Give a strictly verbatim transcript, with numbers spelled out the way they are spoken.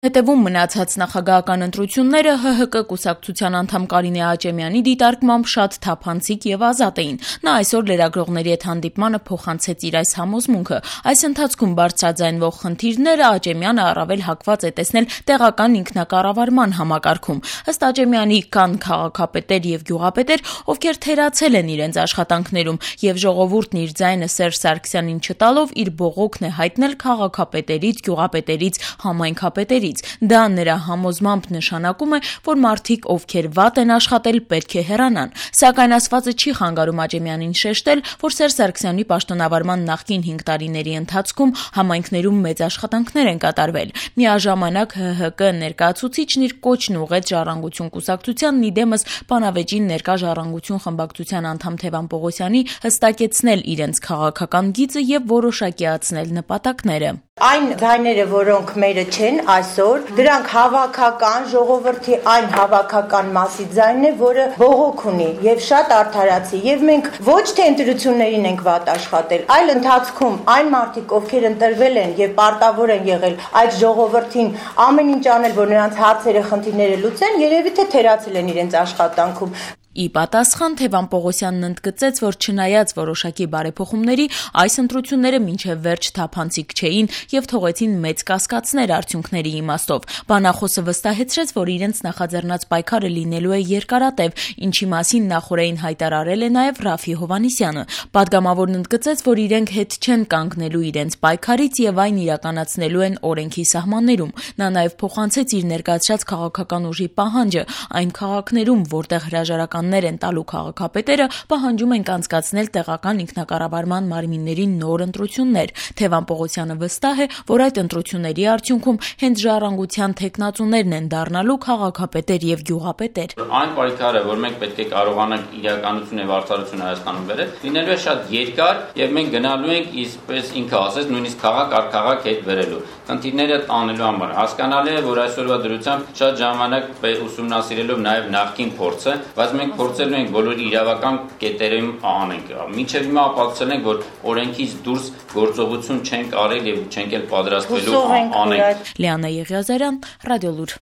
Հետևում մնացած նախագահական ընտրությունները ՀՀԿ կուսակցության անդամ Կարինե Աճեմյանի դիտարկմամբ շատ թափանցիկ եւ ազատ էին։ Նա այսօր լրագրողների հետ հանդիպմանը փոխանցեց իր այս համոզմունքը։ Այս ընթացքում բարձրաձայնվող խնդիրները Աճեմյանը առավել հակված է տեսնել տեղական ինքնակառավարման համակարգում։ Ըստ Աճեմյանի կան քաղաքապետեր եւ գյուղապետեր, ովքեր թերացել են իրենց աշխատանքներում, եւ ժողովուրդն իր ձայնը Սերժ Սարգսյանին չտալով իր բողոքն է հայտնել քաղաքապետերից, գյուղապետերից, համայնքապետերից։ Դա նրա համոզմամբ նշանակում է, որ մարդիկ, ովքեր վատ են աշխատել, պետք է հեռանան։ Սակայն ասվածը չի խանգարում Աճեմյանին շեշտել, որ Սերժ Սարգսյանի պաշտոնավարման նախկին հինգ տարիների ընթացքում համայնքներում մեծ աշխատանքներ են կատարվել։ Միաժամանակ ՀՀԿ ներկայացուցիչն իր կոչն ուղղեց Ժառանգություն կուսակցությանն, իդեմս բանավեճին ներկա Ժառանգություն խմբակցության անդամ Թևան Պողոսյանի հստակեցնել իրենց քաղաքական գիծը եւ որոշակիացնել նպատակները։ Այն ձայները, որոնք մերը չեն այսօր, դրանք հավաքական ժողովրդի այն հավաքական մասի ձայնն է, որը բողոք ունի եւ շատ արդարացի, եւ մենք ոչ թե ընտրություններին ենք վատ աշխատել, այլ ընթացքում այն մարդիկ, ովքեր ընտրվել են եւ պարտավոր են եղել այդ ժողովրդին ամեն ինչ անել, որ նրանց հարցերը, խնդիրները լուծեն, երևի թե թերացել են իրենց աշխատանքում։ Ի պատասխան Թևան Պողոսյանն ընդգծեց, որ չնայած որոշակի բարեփոխումների, այս ընտրությունները մինչև վերջ թափանցիկ չէին եւ թողեցին մեծ կասկածներ արդյունքների իմաստով։ Բանախոսը վստահեցրեց, որ իրենց նախաձեռնած պայքարը լինելու է երկարատև, ինչի մասին նախօրեին հայտարարել է նաեւ Ռաֆի Հովհաննիսյանը։ Պատգամավորն ընդգծեց, որ իրենք հետ չեն կանգնելու իրենց պայքարից եւ այն իրականացնելու են օրենքի սահմաններում։ Նա նաեւ փոխանցեց իր ներկայացրած քաղաքական ուժի պահանջը այն քաղաքներում, որտեղ հրաժարական են տալու քաղաքապետերը, պահանջում են անցկացնել տեղական ինքնակառավարման մարմինների նոր ընտրություններ։ Թևան Պողոսյանը վստահ է, որ այդ ընտրությունների արդյունքում հենց Ժառանգության թեկնածուներն են դառնալու քաղաքապետեր եւ գյուղապետեր։ Այն պայքարը, որ մենք պետք է կարողանանք իրականություն եւ արդարություն Հայաստանում բերել, լինելու է շատ երկար եւ մենք գնալու ենք իսպես ինքը ասես նույնիսկ քաղաք առ քաղաք հետ վերելու։ Խնդիրները տանելու համար հասկանալի է, որ այսօրվա դրությամբ շատ ժամանակ ուսումնասիրելով նաեւ նախկին փորձը, բայց մենք փորձելու ենք բոլոր իրավական կետերում անենք։ Մինչև հիմա ապացուցել ենք, որ օրենքից դուրս գործողություն չենք արել եւ չենք էլ պատրաստվելու անենք։ Լիանա Եղիազարյան, Ռադիոլուր։